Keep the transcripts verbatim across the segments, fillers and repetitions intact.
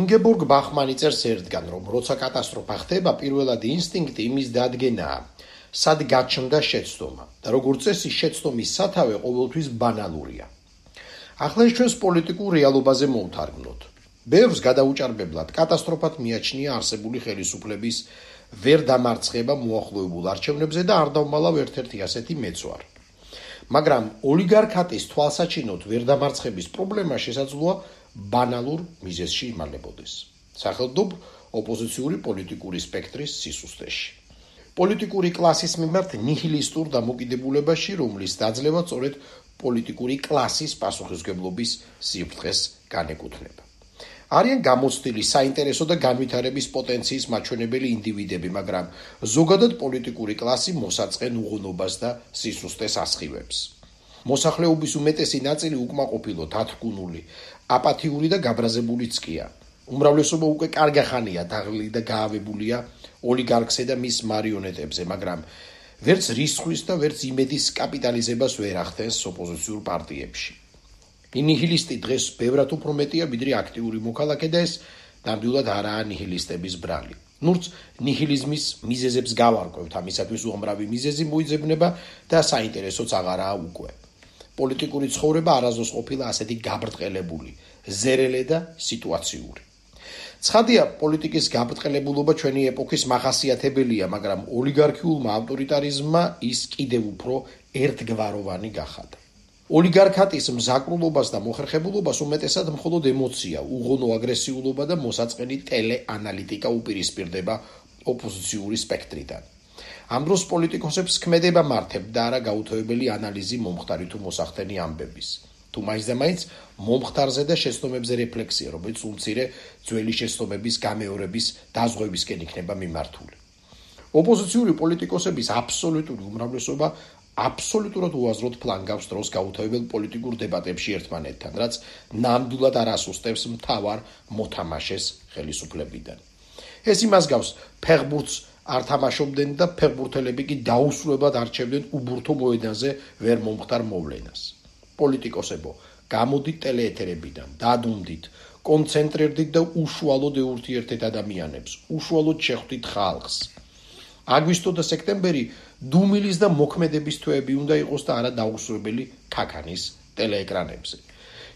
ინგებორგ ბახმანი წერს ერთგან, რომ როცა კატასტროფა ხდება, პირველად ინსტინქტი იმის დადგენაა, სად გაჩნდა შეცდომა და როგორც წესი შეცდომის სათავე ყოველთვის ბანალურია. ახლა ეს ჩვენს პოლიტიკურ რეალობაზე მოვთარგმნოთ. ბევრს გადაუჭარბებლად კატასტროფად მიაჩნია არსებული ხელისუფლების ვერ დამარცხება მოახლოებულ არჩევნებზე და არ დავმალავ ერთ-ერთი ასეთი მეც ვარ. მაგრამ ოლიგარქატის თვალსაჩინოდ ვერ დამარცხების პრობლემა შესაძლოა ბანალურ მიზეზში იმალებოდეს. სახელმწიფო ოპოზიციური პოლიტიკური სპექტრის სისუსტეში. პოლიტიკური კლასის მიმართ ნიჰილისტურ დამოკიდებულებაში, რომლის დაძლევა სწორედ პოლიტიკური კლასის პასუხისმგებლობის სიფრთხეს განეკუთვნება. არიან გამოცდილი საინტერესო და განვითარების პოტენციის მაჩვენებელი ინდივიდები, მაგრამ ზოგადად პოლიტიკური კლასი მოსაწყენ უღონობას და სისუსტეს ასხივებს. მოსახლეობის უმეტესი ნაწილი უკმაყოფილო, თათრკუნული, აპათიური და გაბრაზებულიც კია. უმრავლესობა უკვე კარგი ხანია დაღლილი და გაავებულია ოლიგარქზე და მის მარიონეტებზე, მაგრამ ვერც რისხვის და ვერც იმედის კაპიტალიზებას ვერ ახდენს ოპოზიციურ პარტიებში. ნიჰილისტი დღეს ბევრად უფრო მეტია, ვიდრე აქტიური მოქალაქე და ეს ნამდვილად არაა ნიჰილისტების ბრალი. ნურც ნიჰილიზმის მიზეზებს გავარკვევთ, ამისათვის უამრავი მიზეზი მოიძებნება და საინტერესოც აღარაა უკვე. პოლიტიკური ცხოვრება არასდროს ყოფილა ასეთი გაბრტყელებული, ზერელე და სიტუაციური. ცხადია, პოლიტიკის გაბრტყელებულობა ჩვენი ეპოქის მახასიათებელია, მაგრამ ოლიგარქიულმა ავტორიტარიზმმა ის კიდევ უფრო ერთგვაროვანი გახადა. ოლიგარქატის მზაკრულობას და მოხერხებულობას უმეტესად მხოლოდ ემოცია, უღონო აგრესიულობა და მოსაწყენი ტელეანალიტიკა უპირისპირდება ოპოზიციური სპექტრიდან. ამ დროს პოლიტიკოსებს ქმედება მართებ და არა გაუთავებელი ანალიზი მომხდარი თუ მოსახდენი ამბების. თუ მაინც და მაინც მომხდარზე და შეცდომებზე რეფლექსია, რომელიც უმცირე ძველი შეცდომების გამეორების დაზღვევისკენ იქნება მიმართული. ოპოზიციური პოლიტიკოსების აბსოლუტური უმრავლესობა აბსოლუტურად უაზროდ ფლანგავს დროს გაუთავებელ პოლიტიკურ დებატებში ერთმანეთთან, რაც ნამდვილად არ ასუსტებს მთავარ მოთამაშეს ხელისუფლებიდან. ეს იმას გავს, ფეხბურთს არ თამაშობდნენ და ფეხბურთელები კი დაუსრულებლად არჩევდნენ უბურთო მოედანზე ვერ მომხდარ მოვლენას. პოლიტიკოსებო, გამოდით ტელეეთერებიდან, დადუნდით, კონცენტრირდით და უშუალოდ ეურთიერთეთ ადამიანებს, უშუალოდ შეხვდით ხალხს. აგვისტო და სექტემბერი დუმილის და მოქმედების თვეები უნდა იყოს და არა დაუსრულებელი ქაქანის ტელეეკრანებზე.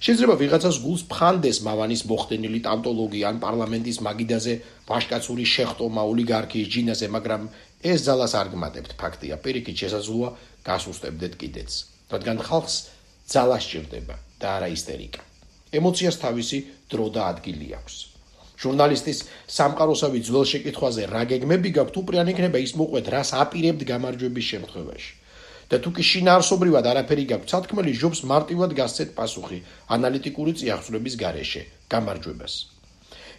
შეიძლება ვიღაცას გულს ფხანდეს მავანის მოხდენილი ტავტოლოგია ან პარლამენტის მაგიდაზე ვაჟკაცური შეხტომა ოლიგარქიის ჯინაზე, მაგრამ ეს ძალას არ გმატებთ, ფაქტია, პირიქით შესაძლოა გასუსტებდეთ კიდეც, რადგან ხალხს ძალა სჭირდება და არა ისტერიკა. ემოციას თავისი დრო და ადგილი აქვს. ჟურნალისტის სამყაროსავი ძველ შეკითხვაზე რა გეგმები გაქვთ, უპრიან იქნება ის მოყვეთ, რას აპირებთ გამარჯვების შემთხვევაში. და თუ კი შინაარსობრივად არაფერი გაქვთ სათქმელი, ჯობს მარტივად გასცეთ პასუხი ანალიტიკური წიაღწრების გარეშე გამარჯვებას.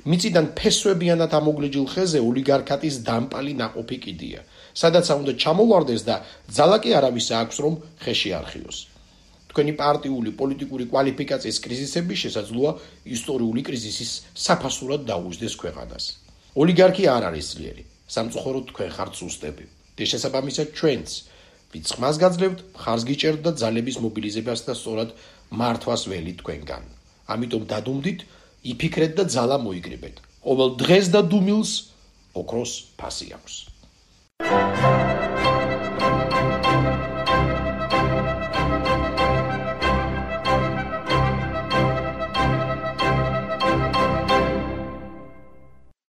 მიწიდან ფესვებიანად ამოგლეჯილ ხეზე ოლიგარქატის დამპალი ნაყოფი კიდია, სადაც უნდა ჩამოვარდეს და ძალა კი არავისა აქვს, რომ ხეში არხიოს. თქვენი პარტიული პოლიტიკური კვალიფიკაციის კრიზისები შესაძლოა ისტორიული კრიზისის საფასურად დაუჯდეს ქვეყანას. ოლიგარქია არ არის ძლიერი, სამწუხაროდ თქვენ ხართ სუსტები. და შესაბამისად ჩვენც, ვინც ხმას გაძლევთ, მხარს გიჭერთ და ძალების მობილიზებას და სწორად მართვას ველით თქვენგან. ამიტომ დადუმდით, იფიქრეთ და ძალა მოიკრიბეთ. ყოველ დღეს და დუმილს ოქროს ფასი აქვს.